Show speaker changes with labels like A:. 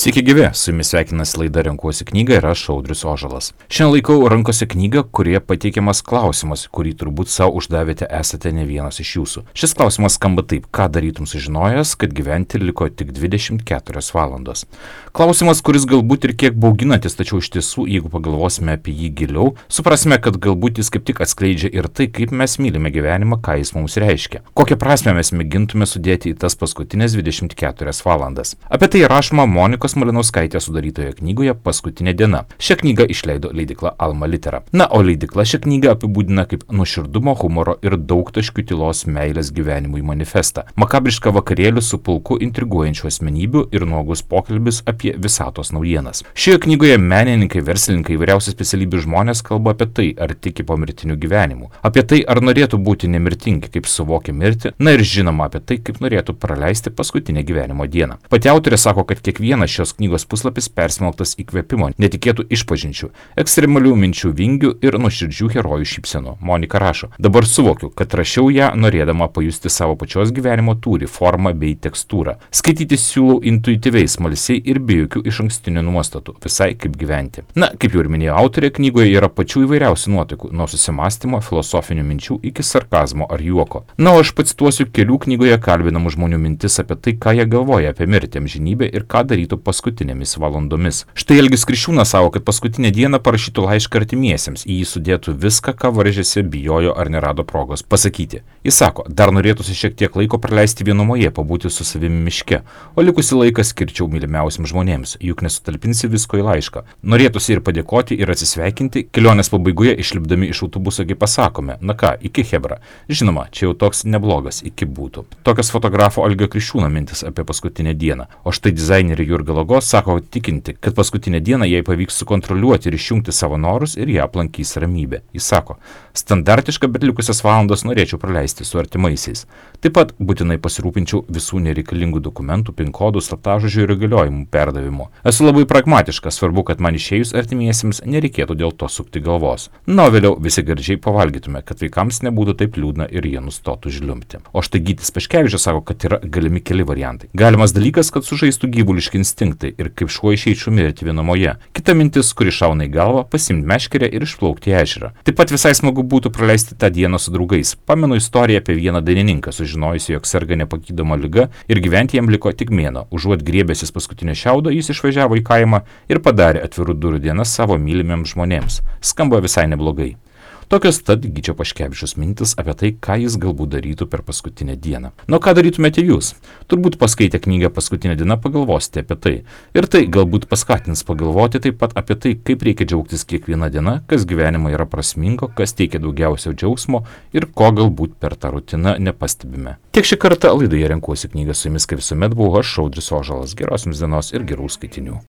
A: Sveiki gyvi, su jumis sveikinasi laida Renkuosi knygą ir aš Audrius Ožalas. Šiandien laikau rankose knygą, kurioje pateikiamas klausimas, kurį turbūt savo uždavėte esate ne vienas iš jūsų. Šis klausimas skamba taip: ką darytum sužinojęs, kad gyventi liko tik 24 valandos? Klausimas, kuris galbūt ir kiek bauginantis, tačiau iš tiesų, jeigu pagalvosime apie jį giliau, suprasime, kad galbūt jis kaip tik atskleidžia ir tai, kaip mes mylime gyvenimą, ką jis mums reiškia. Kokią prasmę mes mėgintume sudėti į tas paskutinės 24 valandas. Apie tai rašoma Monikos Malinauskaitės sudarytoje knygoje Paskutinė diena. Šią knygą išleido leidykla Alma Litera. Na, o leidykla šią knygą apibūdina kaip nuoširdumo, humoro ir daugtaškių tylos meilės gyvenimui manifestą. Makabrišką vakarėlių su pulku intriguojančių asmenybių ir nuogus pokalbis apie visatos naujienas. Šioje knygoje menininkai, verslininkai, įvairiausių specialybių žmonės kalba apie tai, ar tiki pomirtiniu gyvenimu, apie tai, ar norėtų būti nemirtingi, kaip suvokia mirtį, na ir žinoma apie tai, kaip norėtų praleisti paskutinę gyvenimo dieną. Pati autorė sako, kad kiekvienas šios knygos puslapis persmelktas įkvėpimo, netikėtų išpažinčių, ekstremalių minčių vingių ir nuoširdžių herojų šypsenų. Monika rašo: dabar suvokiu, kad rašiau ją norėdama pajusti savo pačios gyvenimo tūrį, formą bei tekstūrą. Skaityti siūlau intuityviai, smalsiai ir be jokių išankstinių nuostatų, visai kaip gyventi. Na, kaip jau ir minėjo autorė, knygoje yra pačių įvairiausių nuotaikų, nuo susimąstymo, filosofinių minčių iki sarkazmo ar juoko. Na, o aš pacituosiu kelių knygoje kalbinamų žmonių mintis apie tai, ką jie galvoja apie mirtį, amžinybę ir ką darytų paskutinėmis valandomis. Štai Algis Kriščiūnas savo, kad paskutinę dieną parašytų laišką artimiesiems, į jį sudėtų viską, ką varžėsi, bijojo ar nerado progos pasakyti. Jis sako, dar norėtųsi šiek tiek laiko praleisti vienumoje, pabūti su savimi miške, o likusį laiką skirčiau mylimiausiams žmonėms, juk nesutalpinsi visko į laišką. Norėtųsi ir padėkoti, ir atsisveikinti, kelionės pabaigoje išlipdami iš autobuso gi pasakome: na ką, iki chebra. Žinoma, čia jau toks neblogas iki būtų. Tokios fotografo Algio Kriščiūno mintis apie paskutinę dieną. O štai dizainerė Jurga Lagos sako tikinti, kad paskutinę dieną jai pavyks sukontroliuoti ir išjungti savo norus ir ją aplankys ramybė. Jis sako: standartiška, bet likusias valandas norėčiau praleisti su artimaisiais. Taip pat būtinai pasirūpinčiau visų nereikalingų dokumentų, pin kodų, slaptažodžių ir įgaliojimų perdavimu. Esu labai pragmatiškas, svarbu, kad man išėjus artimiesiems nereikėtų dėl to sukti galvos. Na, vėliau visi gardžiai pavalgytume, kad vaikams nebūtų taip liūdna ir jie nustotų žliumbti. O štai Gytis Paškevičius sako, kad yra galimi keli variantai. Galimas dalykas, kad sužaistų gyvuliški instinktai ir kaip šuo išeičiau mirti vienumoje. Kita mintis, kuri šauna į galvą, pasimti meškerę ir išplaukti į ežerą. Taip pat visai smagu būtų praleisti tą dieną su draugais. Pamenu istoriją apie vieną dainininką, sužinojusi, jog serga nepagydoma liga ir gyventi jam liko tik mėnuo. Užuot griebęsis paskutinio šiaudo, jis išvažiavo į kaimą ir padarė atvirų durų dienas savo mylimiems žmonėms. Skamba visai neblogai. Tokios tad Gyčio Paškevičiaus mintis apie tai, ką jis galbūt darytų per paskutinę dieną. Nu, ką darytumėte jūs? Turbūt paskaitę knygą Paskutinė diena pagalvosite apie tai. Ir tai galbūt paskatins pagalvoti taip pat apie tai, kaip reikia džiaugtis kiekvieną dieną, kas gyvenime yra prasmingo, kas teikia daugiausia džiaugsmo ir ko galbūt per tą rutiną nepastebime. Tiek šį kartą laidoje Renkuosi knygą, su jumis kaip visuomet buvau aš, Audrius Ožalas. Geros jums dienos ir gerų skaitinių.